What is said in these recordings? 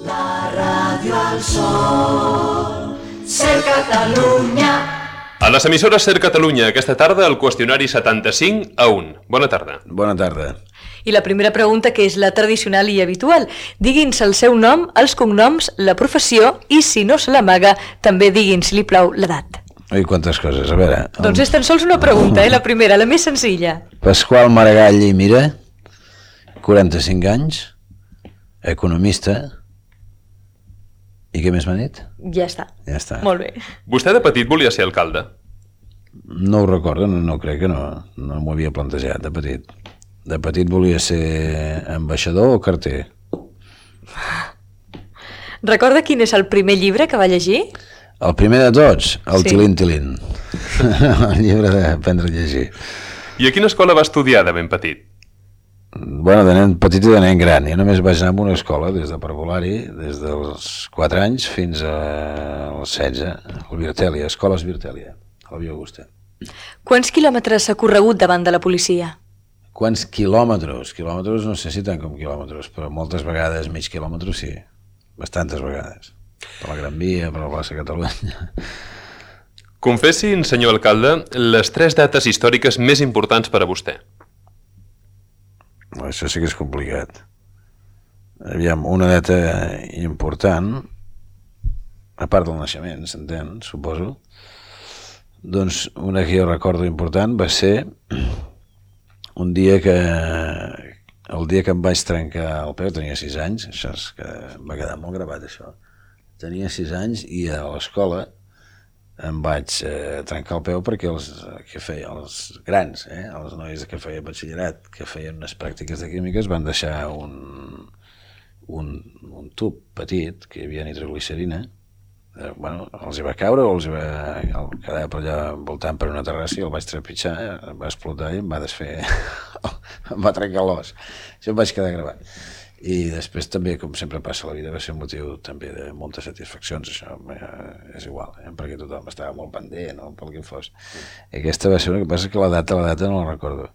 La ràdio al sol, Ser Catalunya. A les emissores Ser Catalunya, aquesta tarda, el qüestionari 75-1. Bona tarda. Bona tarda. I la primera pregunta, que és la tradicional i habitual. Digui'ns el seu nom, els cognoms, la professió i, si no se l'amaga, també digui'ns, si li plau, l'edat. Ui, quantes coses, a veure... Doncs és tan sols una pregunta, la primera, la més senzilla. Pasqual Maragall i Mira, 45 anys, economista, i què més m'ha dit? Ja està. Ja està. Molt bé. Vostè de petit volia ser alcalde? No ho recordo, no crec que no m'ho havia plantejat de petit. De petit volia ser ambaixador o carter. Recorda quin és el primer llibre que va llegir? El primer de tots, el Sí. Tilín Tilín. El llibre d'aprendre a llegir. I a quina escola va estudiar de ben petit? Bueno, de nen petit i de nen gran. Jo només vaig anar a una escola des de parvulari, des dels 4 anys fins als 16, al Virtèlia, Escoles Virtèlia, a la Via Augusta. Quants quilòmetres s'ha corregut davant de la policia? Quants quilòmetres? Quilòmetres no sé si tant com quilòmetres, però moltes vegades mig quilòmetre sí, bastantes vegades. Per la Gran Via, per la plaça Catalunya. Confessin, senyor alcalde, les 3 dates històriques més importants per a vostè. Això sí que és complicat. Aviam, una data important, a part del naixement, s'entén, suposo, doncs una que jo recordo important va ser un dia el dia que em vaig trencar el peu, tenia 6 anys, això és que em va quedar molt gravat això, tenia 6 anys i a l'escola em vaig trencar el peu perquè els grans, els nois que feien batxillerat, que feien unes pràctiques de químiques, van deixar un tub petit que hi havia nitroglicerina. Bueno, els hi va caure o els hi va quedar per allà voltant per una terrassa i el vaig trepitjar, em va explotar i em va desfer, em va trencar l'os. Això em vaig quedar gravat. I després també, com sempre passa a la vida, va ser un motiu també de moltes satisfaccions, això és igual, perquè tothom estava molt pendent o pel que fos. I aquesta va ser una que passa que la data no la recordo.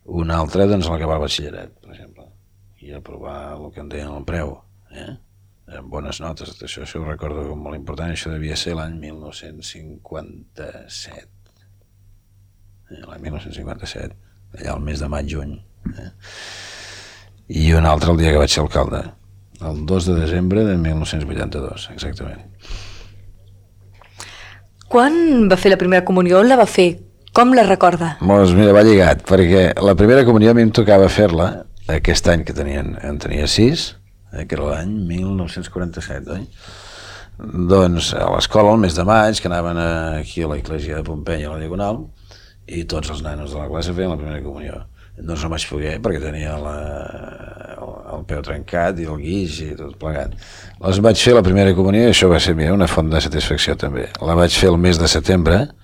Una altra, doncs, l'acabar el batxillerat, per exemple, i aprovar el que en deien el preu, amb bones notes, això ho recordo com molt important, això devia ser l'any 1957. L'any 1957, allà al mes de maig-juny. I un altre el dia que vaig ser alcalde, el 2 de desembre de 1982, exactament. Quan va fer la primera comunió? On la va fer? Com la recorda? Doncs mira, va lligat, perquè la primera comunió a mi em tocava fer-la aquest any que en tenia 6, que era l'any 1947, oi? Doncs a l'escola, el mes de maig, que anaven aquí a la Iglesia de Pompeia, a la Diagonal, i tots els nanos de la classe feien la primera comunió. Doncs no vaig poder perquè tenia el peu trencat i el guix i tot plegat. Les vaig fer la primera comunió i això va ser una font de satisfacció també. La vaig fer el mes de setembre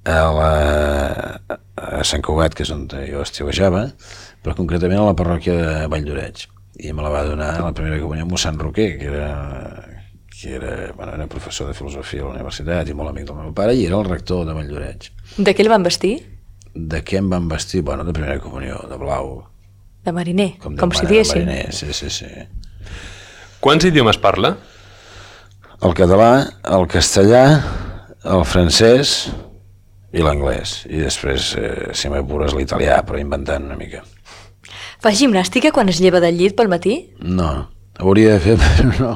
a Sant Cugat, que és on jo estiuejava, però concretament a la parròquia de Valldoreix. I me la va donar la primera comunió mossèn Roquer, que era professor de filosofia a la universitat i molt amic del meu pare, i era el rector de Valldoreix. De què el van vestir? De què em van vestir? Bueno, de primera comunió, de blau. De mariner, com si diguéssim. diguéssim. Mariner, sí. Quants idiomes parla? El català, el castellà, el francès i l'anglès. I després, si m'apures, l'italià, però inventant una mica. Fa gimnàstica quan es lleva del llit pel matí? No, hauria de fer, però no.